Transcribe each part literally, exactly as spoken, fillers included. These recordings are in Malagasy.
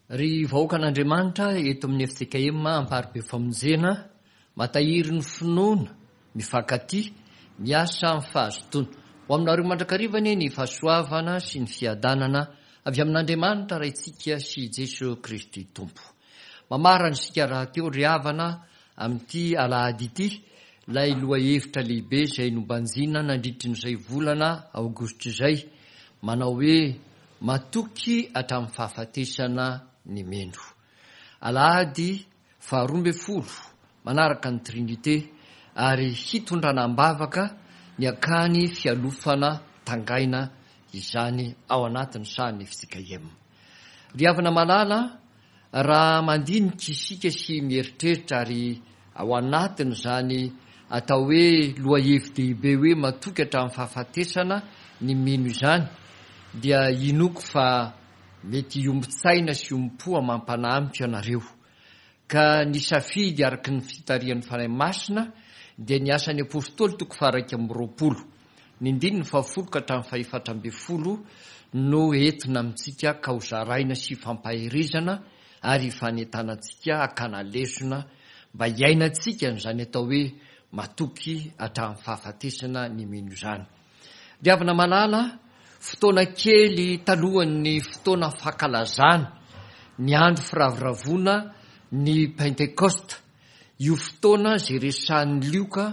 Ry vahoakan'Andriamanitra eto amin'ny F J K M Amparibe Famonjena, matahiry ny finoana, mifankatia, miasa amin'ny fahazotoana. Ho aminareo mandrakariva anie ny fahasoavana sy ny fiadanana avy amin'Andriamanitra Raintsika sy Jesosy Kristy Tompo. Mamarana isika raha teo ry havana amin'ity alahady ity ilay lohahevitra lehibe izay nobanjina nandritrin'izay volana aogositra izay, manao hoe matoky hatramin'ny fahafatesana ny mino. Alahady faharoa ambin'ny folo manaraka ny Trinité ary hitondrana am-bavaka ny akany fialofana Tangaina izany ao anatin'ny sahan'ny F J K M. Ry havana malala, raha mandinika isika sy mieritreritra ary ao anatin'izany atao hoe lohahevi-dehibe hoe matoky hatramin'ny fahafatesana ny mino izany, dia inoko fa mety hiombon-tsaina sy hiombom-po amam-panahy amiko ianareo. Ka ny safidy araky ny fitarihan'ny Fanahy Masina dia ny Asan'ny Apôstôly toko faha-iraika amby roapolo, ny andininy fahafolo ka hatramin'ny fahefatra ambin'ny folo no entina amintsika ka ho zaraina sy fampaherezana ary fanentanantsika hakana lesona mba hiainantsika n'izany atao hoe matoky hatramin'ny fahafatesana ny mino izany. Ry havana malala, fotoana kely talohan'ny fotoana fankalazana ny andro firavoravoana ny Pentekosta, io fotoana zay resahan'ny Lioka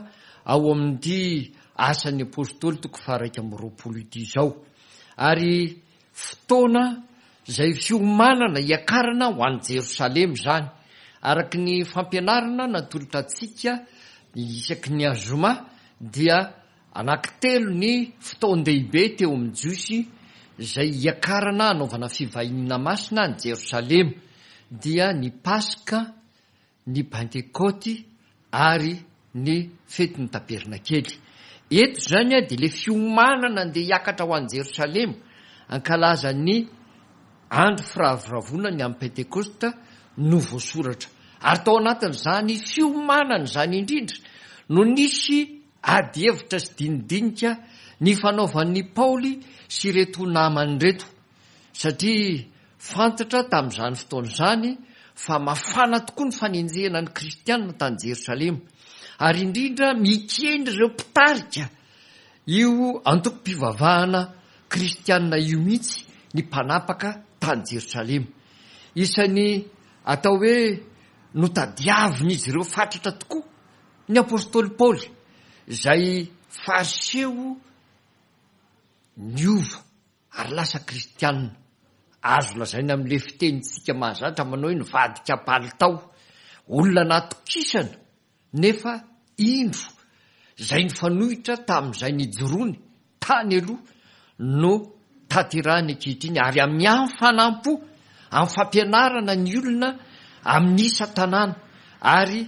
ao amin'ity Asan'ny Apôstôly toko faha-iraika amby roapolo ity izao, ary fotoana zay fiomanana hiakarana ho any Jerosalema izany, araky ny fampianarana natolotra antsika isaky ny azoma, dia anankitelo ny fotoan-dehibe teo amin'ny Jiosy zay hiakarana anaovana fivahiniana masina any Jerosalema, dia ny Paska, ny Pentekoty ary ny fetin'ny Tabernakely. Eto zany a de le fiomanana andeha hiakatra ho any Jerosalema ankalaza ny andro firavoravoana ny amin'ny Pentekosta no voasoratra. Ary tao anatin'izany fiomanana izany indrindra no nisy ady hevitra sy dinidinika ny fanaovan'ny Paoly sy ireto namany reto, satria fantatra tamin'izany fotoana izany fa mafana tokoa ny fanenjehana ny kristianina tany Jerosalema, ary indrindra mikendry ireo mpitarika io antokom-pivavahana kristianina io mihitsy ny mpanapaka tany Jerosalema. Isan'ny atao hoe notadiavina izy ireo fatratra tokoa ny apôstôly Paoly, zay fariseo niova ary lasa kristianina, azo lazaina amin'le fitenintsika mahazatra manao hoe nivadika palitao, olona natokisana, nefa indro zay nifanohitra tamin'izay nijoroany tany aloha no tanterahany ankehitriny, ary amin'ny hafanam-po amin'ny fampianarana ny olona amin'ny isa-tanàna ary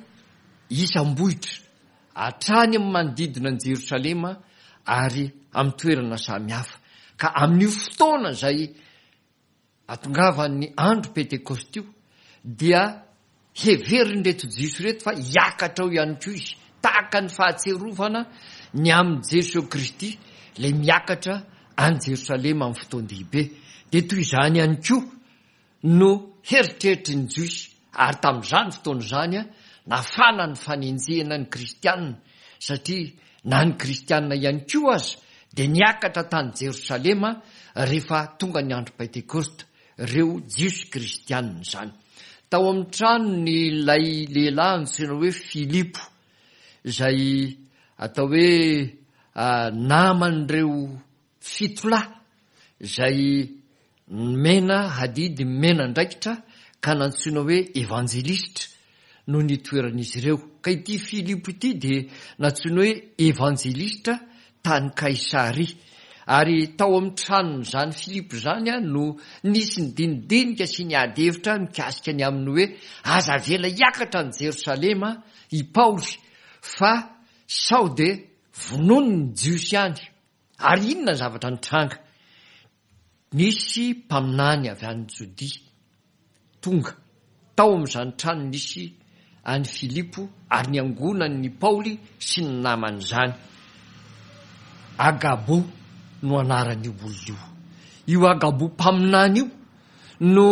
isam-bohitra hatrany amin'ny manodidina ny Jerosalema ary amin'ny toerana samihafa. Ka amin'io fotoana zay atongavan'ny andro Pentekosta io dia heverin'ireto Jiosy reto fa hiakatra ao ihany koa izy, tahaka ny fahatserovana ny amin'i Jesosy Kristy lay miakatra any Jerosalema amin'ny fotoan-dehibe, de toy izany ihany koa no heritreritry ny Jiosy. Ary tamin'izany fotoana izany a nafana ny fanenjehana ny kristianina, satria na ny kristianina ihany koa aza de niakatra tany Jerosalema rehefa tonga ny andro Pentekosta, reo Jiosy kristianina zany. Tao amin'ny trano ny lay lehilahy antsoina hoe Filipo, zay atao hoe naman'ireo fito lahy zay mena hadidy mena andraikitra ka nantsoina hoe evanjelistra no ny toeran'izy ireo. Ka ity Filipo ity de nantsoina hoe evanjelistra tany Kaisaria, ary tao amin'ny tranony zany Filipo zany a no nisy ny dinidinika sy ny ady hevitra mikasika ny amin'ny hoe aza avela hiakatra ny Jerosalema i Paoly fa sao de vonono ny Jiosy any. Ary inona ny zavatra nitranga? Nisy mpaminany avy any Jodia tonga tao amin'izany trano nisy any Filipo ary ny angonany Paoly sy ny namany zany. Agabo no anaran'io olona io. Io Agabo mpaminany io no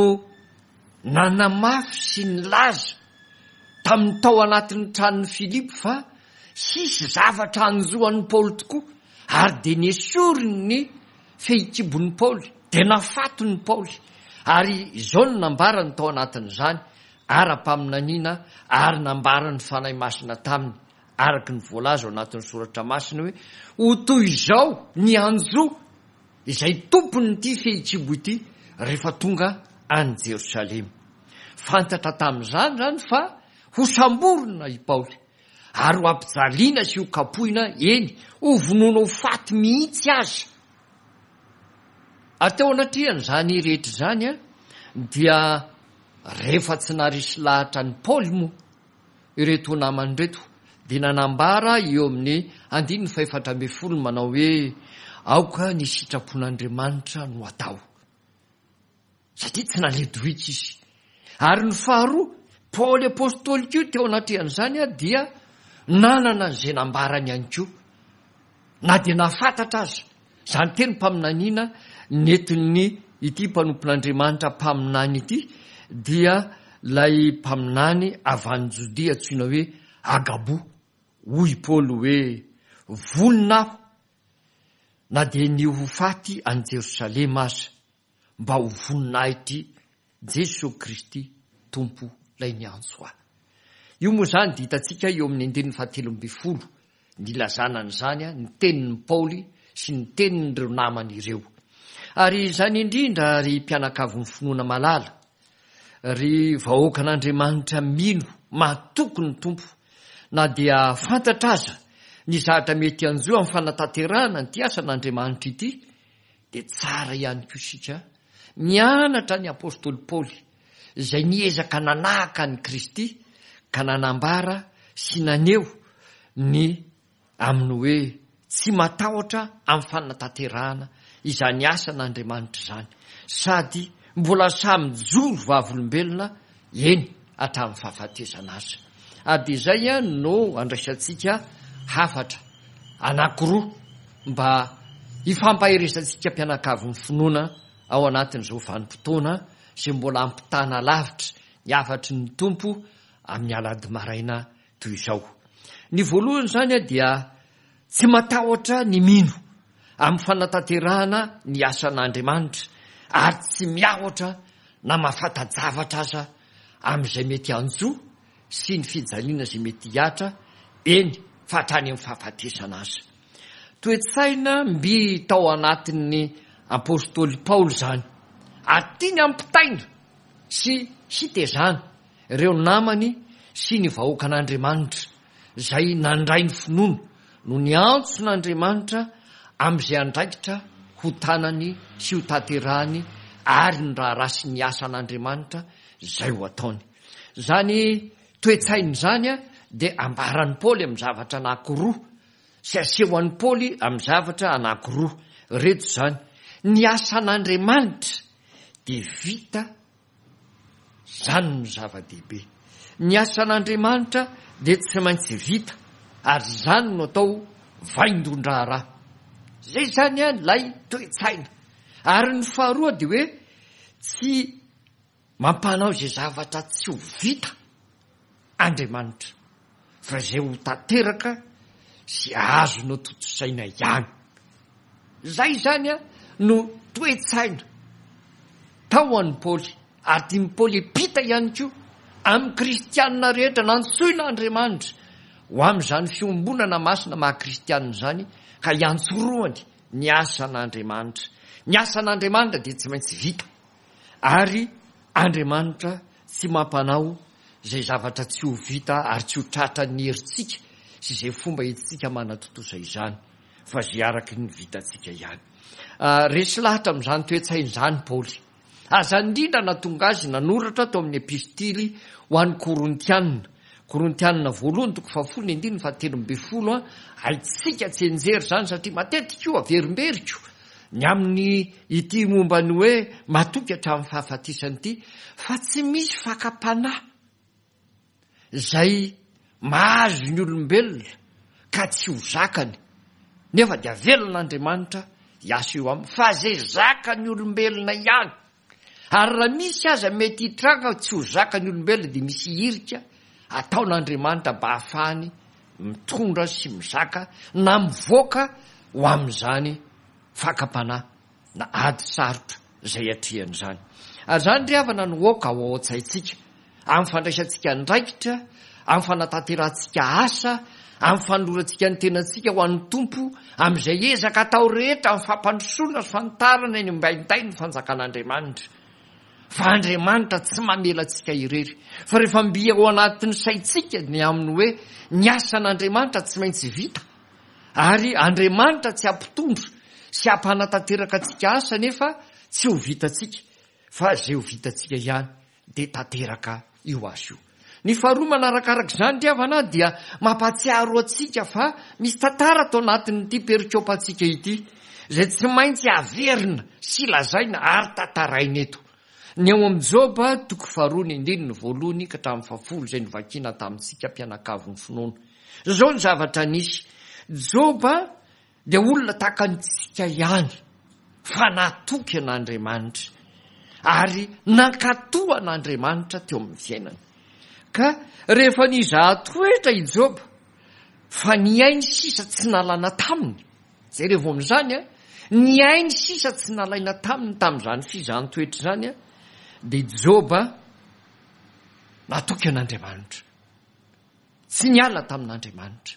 nanamafy sy nilaza tamin'ny tao anatin'ny tranon'i Filipo fa hisy zavatra hanjo an'i Paoly tokoa, ary dia nesoriny ny fehikibon'i Paoly, dia nafatony Paoly. Ary izao no nambarany tao anatin'izany ara-paminaniana, ary nambaran'ny Fanahy Masina taminy araka ny voalaza ao anatin'ny soratra masina hoe ho toy izao ny hanjo izay tompon'ity fehikibo ity rehefa tonga any Jerosalema. Fantatra tamin'izany zany fa ho samborina i Paoly ary ho ampijaliana sy ho kapohina, eny ho vonoina ho faty mihitsy aza. Ary teo anatrehan'izany rehetra izany a dia rehefa tsy naharesy lahatra an'i Paoly moa ireto namany ireto, dia nanambara eo amin'ny andininy fahefatra ambin'ny folo manao hoe aoka ny sitrapon'Andriamanitra no atao, satria tsy naledoika izy. Ary ny faharoa, Paoly apôstôly koa teo anatrehan'izany a dia nanana an'izay nambarany ihany koa, na dia nahafantatra aza izany teny mpaminaniana nentin'ny ity mpanompon'Andriamanitra mpaminany ity, dia ilay mpaminany avy any Jodia antsoina hoe Agabo. Hoy Paoly hoe vonona aho na dia ny ho faty any Jerosalema aza, mba ho voninahitry Jesoa Kristy Tompo ilay niantso ahy. Io moa izany dia hitantsika eo amin'ny andininy fahatelo ambin'ny folo nilazana an'izany, ny tenin'i Paoly sy ny tenin'ireo namany ireo. Ary izany indrindra, ry mpianakavin'ny finoana malala, ry vahoakan'Andriamanitra mino mahatoky ny Tompo, na dia fantatra aza ny zavatra mety hanjo amin'ny fanatanterahana ity asan'Andriamanitra ity, dia tsara ihany koa isika mianatra ny apôstôly Paoly izay niezaka nanahaka an'i Kristy ka nanambara sy naneho ny amin'ny hoe tsy matahotra amin'ny fanatanterahana izany asan'Andriamanitra izany, sady mbola samy mijoro vavolombelona eny hatramin'ny fahafatesana aza. Ary dia izay no andraisantsika hafatra anankiroa mba hifampaherezantsika mpianakavin'ny finoana ao anatin'izao vanim-potoana izay mbola ampitana lavitra ny hafatry ny Tompo amin'ny alahady maraina toy izao. Ny voalohany izany dia tsy matahotra ny mino amin'ny fanatanterahana ny asan'Andriamanitra, ary tsy miahotra na mahafanta-javatra aza amin'izay mety hanjo sy ny fijaliana izay mety hihatra, eny fa hatrany amin'ny fahafatesana aza. Toe-tsaina mby tao anatin'ny apôstôly Paoly izany, ary tiany hampitaina sy hitezana ireo namany sy ny vahoakan'Andriamanitra izay nandray ny finoana no niantson'Andriamanitra amin'izay andraikitra ho tanany sy ho tanterahany ary ny raharaha sy ny asan'Andriamanitra izay ho ataony. Izany toe-tsaina izany dia ambaran'i Paoly amin'ny zavatra anankiroa sy asehon'i Paoly amin'ny zavatra anankiroa. Ireto izany: ny asan'Andriamanitra dia vita, izany no zava-dehibe. Ny asan'Andriamanitra dia tsy maintsy vita, ary izany no atao vaindohan-draharaha. Izay izany ilay toe-tsaina. Ary ny faharoa dia hoe tsy mampanao izay zavatra tsy ho vita Andriamanitra, fa izay ho tanteraka sy azonao tontosaina ihany. Izay izany no toe-tsaina tao an'i Paoly, ary tian'i Paoly hiampita ihany koa amin'ny kristianina rehetra nantsoina Andriamanitra ho amin'izany fiombonana masina maha kristianina izany, ka hiantsorohany ny asan'Andriamanitra. Ny asan'Andriamanitra dia tsy maintsy vita, ary Andriamanitra tsy mampanao izay zavatra tsy ho vita ary tsy ho tratran'ny herintsika sy izay fomba entintsika manatontosa izany, fa izay araky ny vitantsika ihany. Resy lahatra amin'izany toe-tsaina izany Paoly. Ary izany indrindra nahatonga azy nanoratra tao amin'ny epistily ho an'ny Korintianina. Korintianina voalohany toko fahafolo ny andininy fahatelo ambin'ny folo. Haintsika tsy enjery izany satria matetika io averimberiko ny amin'ny ity momba ny hoe matoky hatramin'ny fahafatesana ity, fa tsy misy fakam-panahy izay mahazo ny olombelona ka tsy ho zakany, nefa dia avelan'Andriamanitra hiasa eo aminy, fa izay zakan'ny olombelona ihany Ary raha misy aza mety hitranga tsy ho zakan'ny olombelona, dia misy hirika ataon'Andriamanitra mba hahafahany mitondra sy mizaka na mivoaka ho amin'izany fakam-panahy na ady sarotra izay atrehany izany. Ary izany ry havana no aoka ao ao an-tsaintsika, amin'ny fandraisantsika andraikitra, amin'ny fanatanterahantsika asa, amin'ny fanolorantsika ny tenantsika ho an'ny Tompo, amin'izay ezaka atao rehetra amin'ny fampandrosoana sy fanitarana eny ambainday ny fanjakan'Andriamanitra. Fa Andriamanitra tsy mamela antsika irery. Fa rehefa mby ao anatin'ny saintsika ny amin'ny hoe ny asan'Andriamanitra tsy maintsy vita, ary Andriamanitra tsy hampitondra sy hampanatanteraka antsika asa nefa tsy ho vitantsika, fa izay ho vitantsika ihany dia tanteraka io asa io. Ny faharoa manarakaraka izany ry havana dia mampahatsiaro antsika fa misy tantara ato anatin'ity perikopantsika ity izay tsy maintsy averina sy lazaina ary tantaraina eto. Ny ao amin'ny Joba toko faharoa ny andininy voalohany ka hatramin'ny fahafolo izay novakiana tamintsika mpianakavin'ny finoana. Izao ny zavatra nisy. Joba dia olona tahaka antsika ihany fa natoky an'Andriamanitra ary nankatò an'Andriamanitra teo amin'ny fiainany. Ka rehefa nizaha toetra i Joba fa ny ainy sisa tsy nalana taminy, jerevo amin'izany a, ny ainy sisa tsy nalaina taminy tamin'izany fizahan-toetra izany a, dia Joba natoky an'Andriamanitra, tsy niala tamin'Andriamanitra,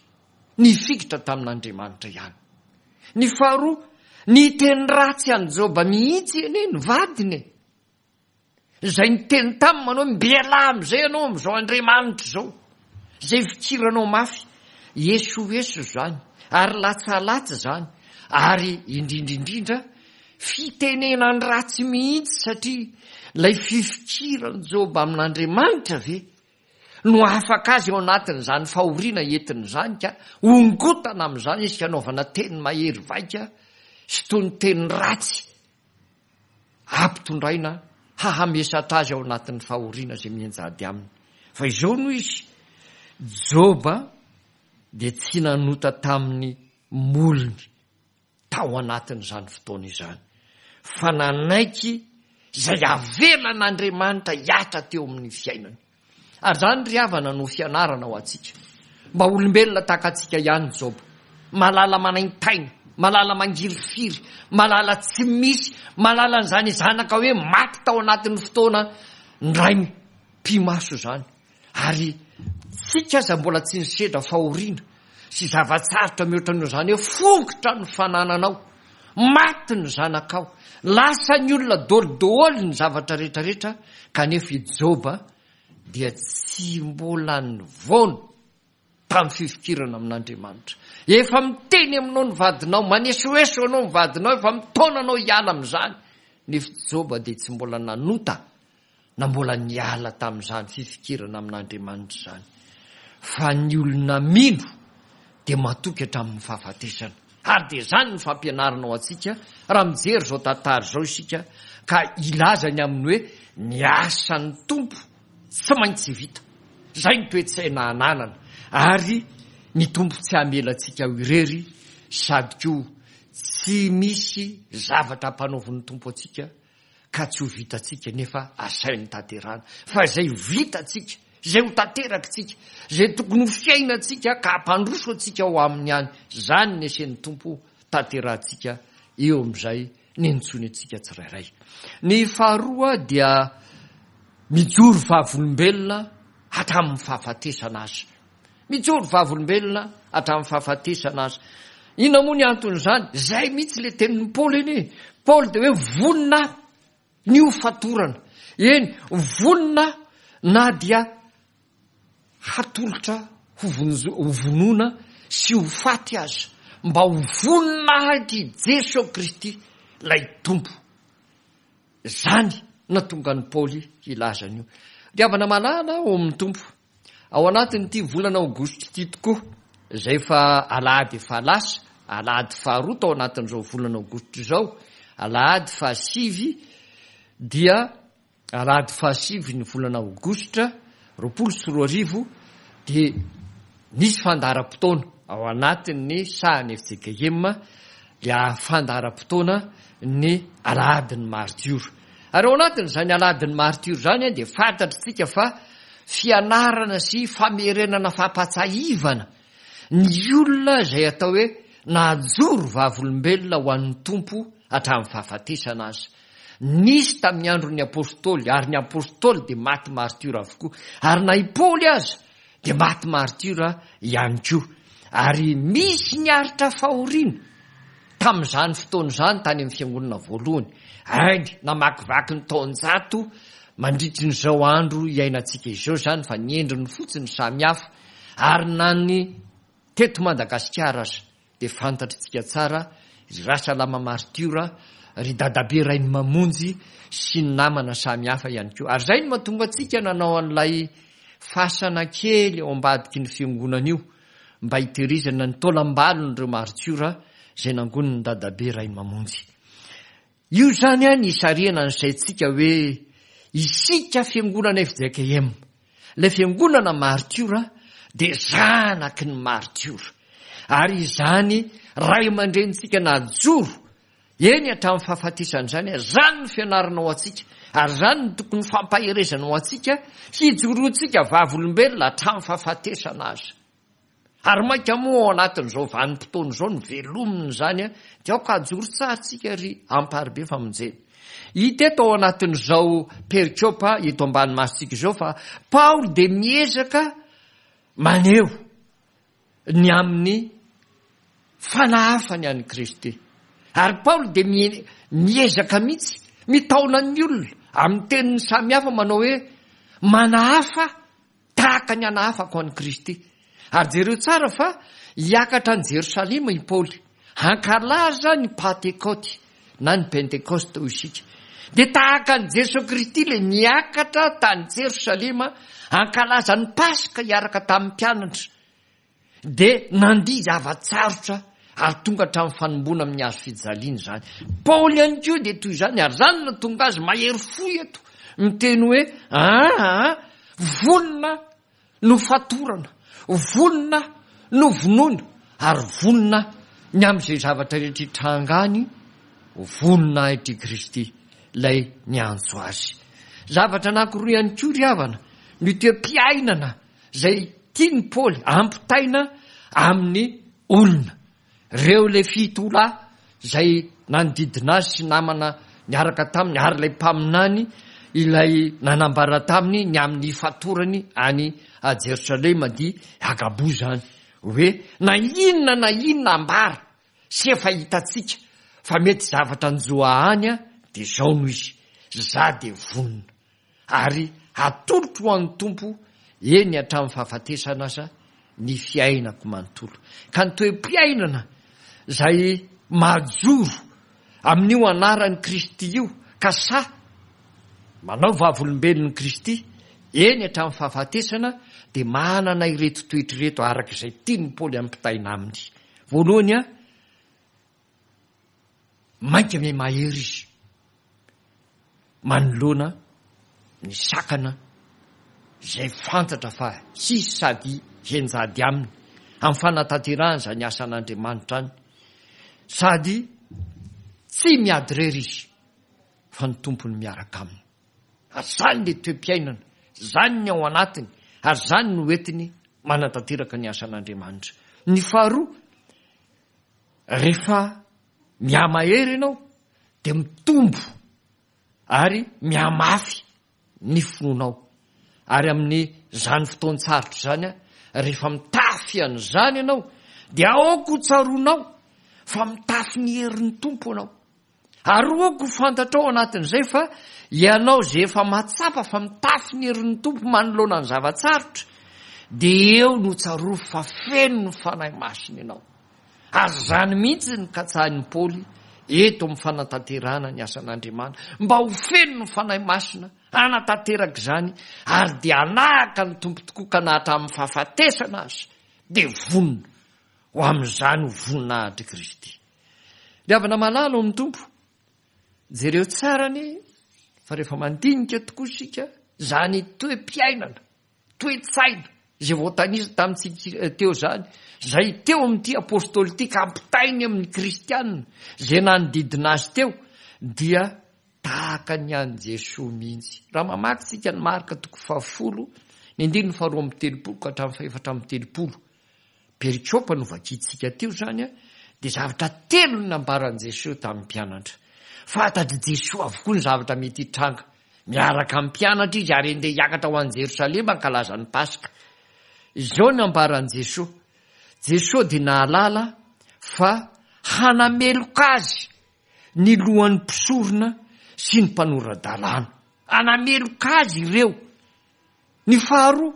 nifikitra tamin'Andriamanitra ihany. Ny faharoa, niteny ratsy an'i Joba mihitsy anie ny vadiny e. Izay niteny taminy manao hoe mbialà amin'izay ianao amin'izao Andriamanitra izao, izay fikiranao mafy. Esoeso izany, ary latsalatsa izany, ary indrindra indrindra fitenenany ratsy mihitsy, satria ilay fifikiran'i Joba amin'Andriamanitra ve no afaka azy ao anatin'izany fahoriana entiny izany, ka hongotana amin'izany izy, ka hanaovana teny mahery vaika sy toy ny teny ratsy ampitondraina hahamesatra azy ao anatin'ny fahoriana izay mianjady aminy. Fa izao no izy, Joba dia tsy nanota tamin'ny molony tao anatin'izany fotoana izany, fa nanaiky izay avelan'Andriamanitra hiatra teo amin'ny fiainany. Ary izany ry havana no fianarana ho antsika. Mba olombelona tahaka antsika ihany Joba, malala manaintaina, malala mangirifiry, malala tsy misy, malala an'izany zanaka hoe maty tao anatin'ny fotoana ndray mpimaso izany. Ary tsika aza mbola tsy nisedra fahoriana sy zava-tsarotra mihoatra noho izany hoe fongotra ny fanananao, maty ny zanakao, lasa ny olona daholo ny zavatra rehetrarehetra, kanefa i Joba dia tsy mbola nivoana tamin'ny fifikirana amin'Andriamanitra. Efa miteny aminao ny vadinao, manesoeso anao ny vadinao, efa mitaona anao hiala amin'izany, nefa Joba dia tsy mbola nanota na mbola niala tamin'izany fifikirana amin'Andriamanitra izany. Fa ny olona mino dia matoky hatramin'ny fahafatesana. Ary dia izany ny fampianarana ho antsika raha mijery izao tantara izao isika, ka ilaza ny amin'ny hoe ny asan'ny Tompo tsy maintsy vita. Izay ny toe-tsaina ananana, ary ny Tompo tsy hamela antsika ho irery, sady koa tsy misy zavatra ampanaovin'ny Tompo antsika ka tsy ho vitantsika nefa asainy tanterahana. Fa izay vitantsika, izay ho tanterakitsika, izay tokony ho fiainantsika ka hampandroso antsika ho aminy ihany, izany ny asain'ny Tompo tanterahantsika eo amin'izay nintsony antsika tsirairay. Ny faharoa dia mijoro vavolombelona hatramin'ny fahafatesana aza. Mijoro vavolombelona hatramin'ny fahafatesana aza. Inona moa ny anton'izany? Izay mihitsy ilay tenin'i Paoly anie. Paoly dia hoe vonona ny ho fatorana. Eny, vonona na dia hatolotra ho vonjo-, ho vonoina sy ho faty aza, mba ho voninahitr'i Jesoa Kristy ilay Tompo. Izany nahatonga an'i Paoly hilaza an'io. Ry havana malala ao amin'ny Tompo, ao anatin'ity volana aogositra ity tokoa, izay efa alahady efa lasa, alahady faharoa tao anatin'izao volana aogositra izao, alahady fahasivy dia alahady fahasivy ny volana aogositra roapolo sy roa arivo, dia nisy fandaharam-potoana ao anatin'ny sahan'ny F J K M, dia fandaharam-potoana ny alahadin'ny martiora. Ary ao anatin'izany alahadin'ny maritiora izany dia fantatritsika fa fianarana sy famerenana fampahatsiahivana ny olona izay atao hoe najoro vavolombelona ho an'ny Tompo hatramin'ny fahafatesana aza. Nisy tamin'ny andron'ny apôstôly, ary ny apôstôly dia maty maritiora avokoa, ary na i Paoly aza dia maty maritiora ihany koa. Ary misy niaritra fahoriana tamin'izany fotoana izany tany amin'ny fiangonana voalohany. Ainy namakivaky ny taonjato mandritry n'izao andro iainantsika izao izany, fa ny endriny fotsiny samihafa. Ary na ny teto Madagasikara aza dia fantatritsika tsara ry Rasalama maritiora, ry Dadabe Rainimamonjy sy ny namana samihafa ihany koa. Ary izay no mahatonga antsika nanao an'ilay fasana kely ao ambadiky ny fiangonana io mba hitehirizana ny taolam-balon'ireo maritiora izay nangonin'ny Dadabe Rainimamonjy. Io izany ny isarihana ny saintsika hoe isika fiangonana F J K M, ilay fiangonana maritiora dia zanaky ny maritiora. Ary izany ray aman-drenintsika najoro eny hatramin'ny fahafatesana izany, izany ny fianarana ho antsika, ary izany no tokony fampaherezana ho antsika hijoroantsika vavolombelona hatramin'ny fahafatesana aza. Ary mainka moa ao anatin'izao vanim-potoana izao ny velomina izany, dia aoka hajoro tsara tsika ry Amparibe Famonjena. Hita eto ao anatin'izao perikopa eto ambany masontsika izao fa Paoly dia miezaka maneho ny amin'ny fanahafany an'i Kristy. Ary Paoly dia miezaka mihitsy mitaona ny olona amin'ny teniny samihafa manao hoe manahafa tahaka ny anahafako an'i Kristy. Ary jereo tsara fa hiakatra any Jerosalema i Paoly hankalaza ny Pantekoty na ny Pentekoste hoy isika. Dia tahaka an'i Jesoa Kristy ilay niakatra tany Jerosalema hankalaza ny Paska hiaraka tamin'ny mpianatra, dia nandia zava-tsarotra ary tonga hatramin'ny fanomboana amin'ny hazo fijaliana izany. Paoly ihany koa dia toy izany, ary izany no tonga azy mahery fo eto miteny hoe aa vonona no fatorana, vonona no vonoina, ary vonona ny amin'izay zavatra rehetra hitrangany, voninahitr'i Kristy ilay niantso azy. Zavatra anankiroa ihany koa ry havana ny toe-piainana izay tian'i Paoly ampitaina amin'ny olona. Ireo ilay fito lahy izay nanodidina azy sy namana niaraka taminy, ary ilay mpaminany ilay nanambara taminy ny amin'ny fatorany any Jerosalema dia Agabo izany, hoe na inona na inona ambara sy efa hitantsika fa mety zavatra anjoa any dia izao no izy, za dia vonona ary atolotro ho an'ny Tompo eny hatramin'ny fahafatesana aza ny fiainako manontolo. Ka ny toe-piainana izay majoro amin'io anaran'i Kristy io ka sa manao vavolombelon'i Kristy eny hatramin'ny fahafatesana dia manana ireto toetra ireto araka izay tian'i Paoly ampitaina aminy. Voalohany, a mainka miha-mahery izy manoloana ny sakana izay fantatra fa hisy sady henjady aminy amin'ny fanatanterahana izany asan'Andriamanitra any, sady tsy miady irery izy fa ny Tompony miaraka aminy. Ary izany ilay toe-piainana, izany ny ao anatiny, ary izany no entiny manatanteraka ny asan'Andriamanitra. Ny faharoa, rehefa mihamahery ianao dia mitombo ary mihamafy ny finoanao. Ary amin'izany fotoan-tsarotra izany, rehefa mitafy an'izany ianao dia aoka ho tsaroanao fa mitafy ny herin'ny Tompo ianao. Ary aoka ho fantatrao anatin'izay fa ianao izay efa mahatsapa fa mitafy ny herin'ny Tompo manoloana ny zava-tsarotra, dia eo no tsarovy fa feno ny Fanahy Masina ianao. Ary izany mihitsy no katsahin'i Paoly eto amin'ny fanatanterahana ny asan'Andriamanitra, mba ho feno ny Fanahy Masina hanatanteraka izany, ary dia hanahaka ny Tompo tokoa ka na hatramin'ny fahafatesana aza dia vonona ho amin'izany ho voninahitr'i Kristy. Ry havana malala ao amin'ny Tompo, jereo tsara anie fa rehefa mandinika tokoa isika izany toe-piainana, toe-tsaina izay voatanisa tamintsika teo izany, izay teo amin'ity apôstôly ity ka ampitainy amin'ny kristianina izay nanodidina azy teo, dia tahaka ny an'i Jesoa mihitsy. Raha mamaky tsika ny Marka toko fahafolo, ny andininy faharoa amby telopolo ka hatramin'ny fahefatra amby telopolo, perikopa no vakintsika teo izany a, dia zavatra telo no nambaran'i Jesoa tamin'ny mpianatra. Fantatr'i Jesoa avokoa ny zavatra mety hitranga. Miaraka amin'ny mpianatra izy ary andeha hiakatra ho any Jerosalema hankalaza ny Paska. Izao no nambaran'i Jesoa. Jesoa dia nahalala fa hanameloka azy ny lohan'ny mpisorona sy ny mpanora-dalàna. Hanameloka azy ireo. Ny faharoa,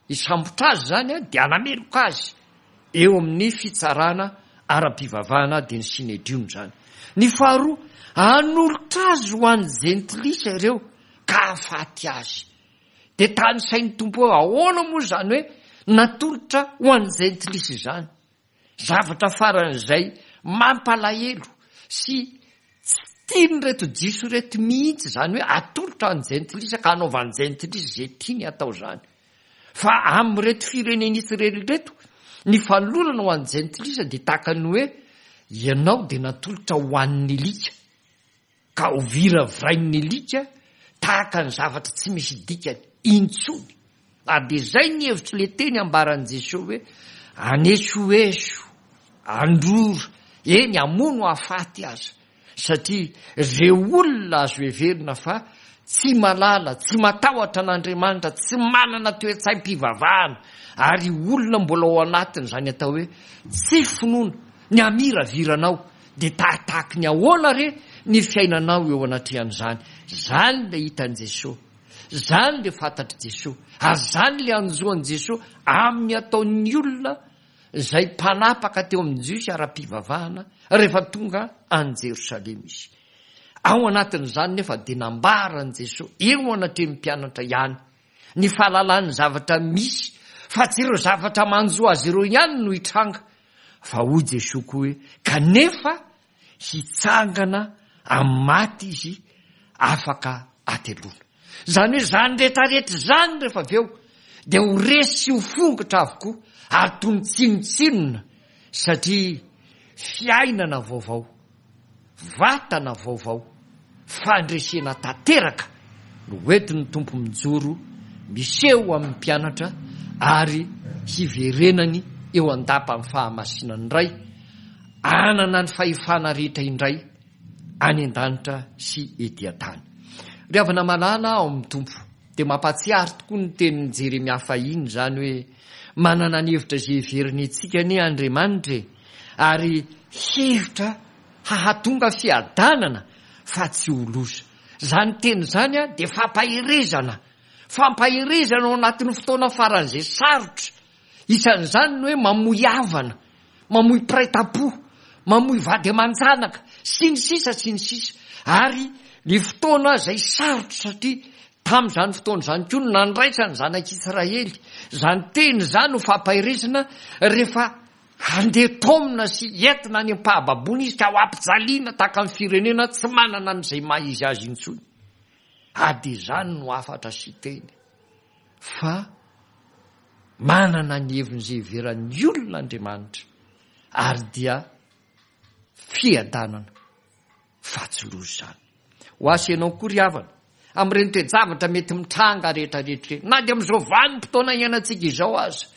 hisambotra azy izany dia hanameloka azy eo amin'ny fitsarana ara-pivavahana, dia ny Synedriona izany. Ny faharoa, hanolotra azy ho an'ny jentilisa ireo ka hahafaty azy. Dia tanisain'ny Tompo hoe ahoana moa izany hoe natolotra ho an'ny jentilisa izany. Zavatra faran'izay mampalahelo sy tsy tian'ireto Jiosy ireto mihitsy izany hoe atolotra ny jentilisa ka hanaovan'ny jentilisa izay tiany atao izany. Fa amin'ireto firenena Israely ireto, ny fanolorana ho an'ny jentilisa dia tahaka ny hoe ianao dia natolotra ho an'ny alika, ka ho viravirain'ny alika tahaka ny zavatra tsy misy dikany intsony. Ary dia izay ny hevitr'ilay teny ambaran'i Jesoa hoe anesoeso, androra, eny hamono hahafaty aza, satria ireo olona azo heverina fa tsy malala, tsy matahotra an'Andriamanitra, tsy manana toe-tsaim-pivavahana, ary olona mbola ao anatin'izany atao hoe tsy finoana, ny hamiraviranao, dia tahatahaky ny ahoana re ny fiainanao eo anatrehan'izany. Izany ilay hitan'i Jesoa, izany ilay fantatr'i Jesoa, ary izany ilay anjoan'i Jesoa amin'ny ataon'ny olona izay mpanapaka teo amin'ny Jiosy ara-pivavahana rehefa tonga any Jerosalema izy. Ao anatin'izany nefa dia nambaran'i Jesoa eo anatrehan'ny mpianatra ihany ny fahalalany zavatra misy, fa tsy ireo zavatra manjo azy ireo ihany no hitranga, fa hoy Jesoa koa hoe kanefa hitsangana amin'ny maty izy afaka hateloana. Izany hoe izany rehetrarehetra izany rehefa avy eo dia ho resy sy ho fongotra avokoa ary toy ny tsinontsinona, satria fiainana vaovao, vatana vaovao, fandresena tanteraka no hoentin'ny Tompo mijoro miseho amin'ny mpianatra ary hiverenany eo an-dapan'ny fahamasinany indray, hanana ny fahefana rehetra indray any an-danitra sy ety an-tany. Ry havana malala ao amin'ny Tompo, dia mampahatsiaro tokoa ny tenin'i Jeremia fahiny izany hoe manana ny hevitra izay heveriny antsika anie Andriamanitra e, ary hevitra hahatonga fiadanana fa tsy ho loza. Izany teny izany dia fampaherezana, fampaherezana ao anatin'ny fotoana faran'izay sarotra. Isan'izany ny hoe mamoy havana, mamoy mpiray tam-po, mamoy vady aman-janaka, sy ny sisa sy ny sisa. Ary ny fotoana izay sarotra, satria tamin'izany fotoana izany koa no nandraisan'ny zanak'Israely izany teny izany ho fampaherezana rehefa handeha taomina sy entina any am-pahababoana izy ka ho ampijaliana tahaka ny firenena tsy manana an'izay maha izy azy intsony. Ary dia izany no hafatra sy teny fa manana ny heviny izay heveran'ny olona Andriamanitra, ary dia fiadanana fa tsy loza izany. Ho ahy sy ianao koa ry havana, amin'ireny toe-javatra mety mitranga rehetrarehetra ireny, na dia amin'izao vanim-potoana iainantsika izao aza,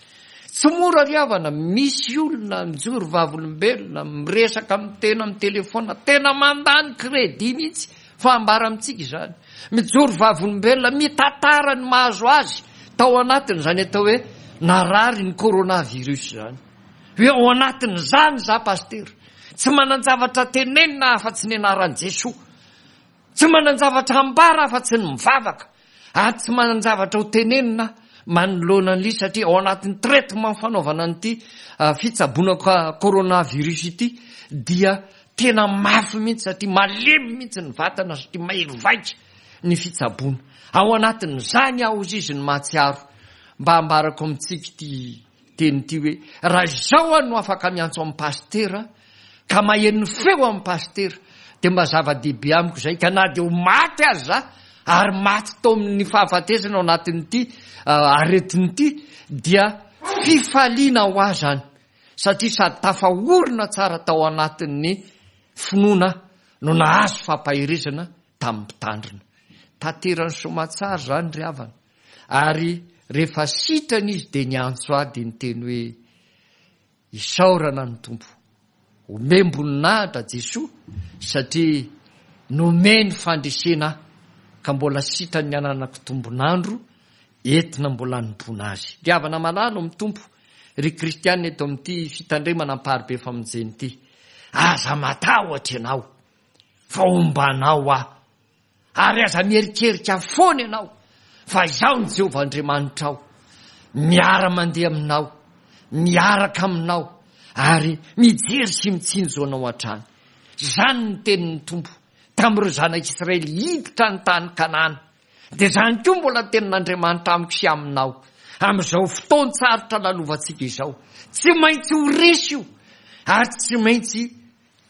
tsy mora ry havana, misy olona mijoro vavolombelona, miresaka amin'ny tena amin'ny telefona, tena mandany crédit mihitsy fa ambara amintsika izany. Mijoro vavolombelona, mitantara ny mahazo azy tao anatin'izany atao hoe narary ny coronavirus izany. Hoe ao anatin'izany za pasitera, tsy manan-javatra tenenina afa-tsy ny anaran'i Jesoa, tsy manan-javatra ambara afa-tsy ny mivavaka, ary tsy manan-javatra ho tenenina manoloana an'ilay satria ao anatin'ny traitement fanaovana an'ity fitsaboana coronavirus ity dia tena mafy mihitsy, satria malemy mihitsy ny vatana, satria mahery vaika ny fitsaboana. Ao anatin'izany aho ozy izy ny mahatsiaro mba ambarako amintsika ity teny ity hoe raha izao aho no afaka miantso amin'ny pasitera ka maheno ny feo amin'ny pasitera dia mba zava-dehibe amiko izay, ka na dia ho maty aza za ary maty tao amin'ny fahafatesana ao anatin'ity aretina ity dia fifaliana ho ahy izany, satria sady tafaorina tsara tao anatin'ny finoana no nahazo fampaherezana tamin'ny mpitandrina. Tanterany soamatsara izany ry havana. Ary rehefa sitrana izy dia niantso ahy dia niteny hoe isaorana ny Tompo. Omem-boninahitra Jesoa satria nomeny fandresena ka mbola sitrany ny ananako tombon'andro entina mbola hanompoana azy. Ry havana malala amin'ny Tompo, ry kristiana eto amin'ity fitandremana amparibe famonjena ity, aza matahotra ianao fa hombanao aho, ary aza mierikerika foana ianao fa izaho ny Jehovah Andriamanitrao, miara-mandeha aminao, miaraka aminao, ary mijery sy mitsinjo anao hatrany. Izany ny tenin'ny Tompo tamin'ireo zanak'Israely hiditra ny tany Kanana. Dia izany koa mbola tenin'Andriamanitra amiko sy aminao amin'izao fotoan-tsarotra lalovantsika izao. Tsy maintsy ho resy io, ary tsy maintsy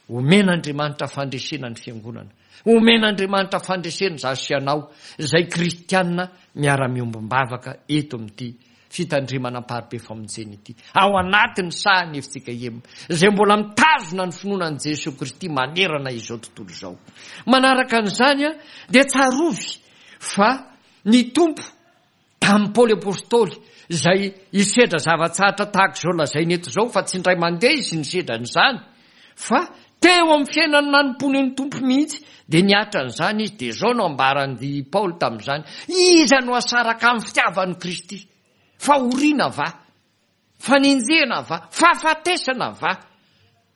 omen'Andriamanitra fandresena ny fiangonana. Omen'Andriamanitra fandresena izaho sy ianao izay kristiana miara-miombom-bavaka eto amin'ity fitandremana amparibe famonjena ity. Ao anatin'ny sahan'ny F C K M izay mbola mitazona ny finoana an'i Jesoa Kristy manerana izao tontolo izao. Manaraka an'izany dia tsarovy fa ny Tompo tamin'i Paoly Apostoly izay hisedra zava-tsarotra tahaka izao lazainy eto izao, fa tsy indray mandeha izy nisedra an'izany, fa teo amin'ny fiainany nanompoany ny Tompo mihitsy dia niatra an'izany izy. Dia izao no ambaran'i Paoly tamin'izany: iza no asaraka amin'ny fitiavan'i Kristy? Fahoriana va? Fanenjehana va? Fahafatesana va?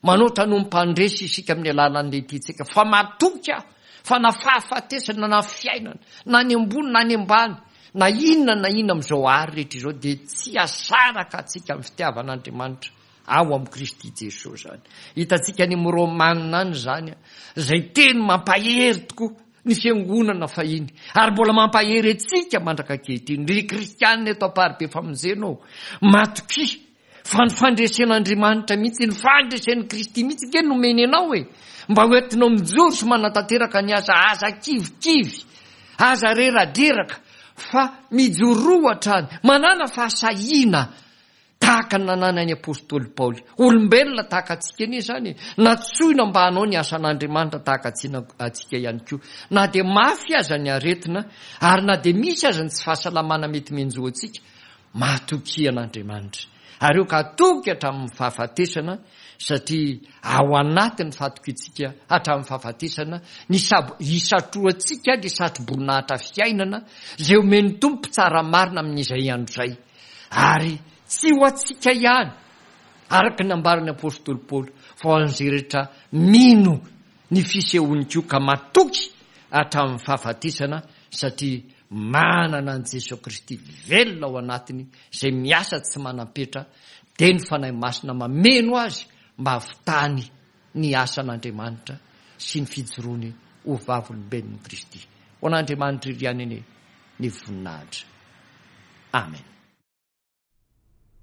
Manoatra no mpandresy isika amin'ny alalan'ny tiantsika, fa matoky aho fa na fahafatesana na fiainana, na ny ambony na ny ambany, na inona na inona amin'izao ary rehetra izao dia tsy asaraka antsika amin'ny fitiavan'Andriamanitra ao amin'i Kristy Jesoa izany. Hitantsika any amin'ny Romanina any izany, izay teny mampahery tokoa ny fiangonana fahiny, ary mbola mampahery antsika mandraka ankehitriny. Ry kristianina eto amparibe famonjena ô, matokia fa ny fandresen'Andriamanitra mihitsy, ny fandresen'i Kristy mihitsy nge nomeny anao e, mba ho entinao mijoro sy manatanteraka ny asa. Aza kivikivy, aza reradreraka, fa mijoroa hatrany, manana fahasahiana tahaka ny nananan'ny Apostoly Paoly. Olombelona tahaka antsika anie izany e, natsoina mba hanao ny asan'Andriamanitra tahaka antsika ihany koa. Na dia mafy aza ny aretina, ary na dia misy aza ny tsy fahasalamana mety mianjo antsika, matokia an'Andriamanitra. Ary eo ka hatoky hatramin'ny fahafatesana, satria ao anatin'ny fahatokiantsika hatramin'ny fahafatesana ny sab-, hisatroantsika ny satroboninahitra fiainana izay omen'ny Tompo tsara marina amin'izay andro izay. Ary tsy ho antsika ihany, araka ny nambaran'ny Apostoly Paoly, fa ho an'izay rehetra mino ny fisehoany koa ka matoky hatramin'ny fahafatesana, satria manana an'i Jesoa Kristy velona ao anatiny izay miasa tsy manam-petra, dia ny Fanahy Masina mameno azy mba hahavitany ny asan'Andriamanitra sy ny fijoroany ho vavolombelon'i Kristy. Ho an'Andriamanitra iry ihany anie ny voninahitra. Amen.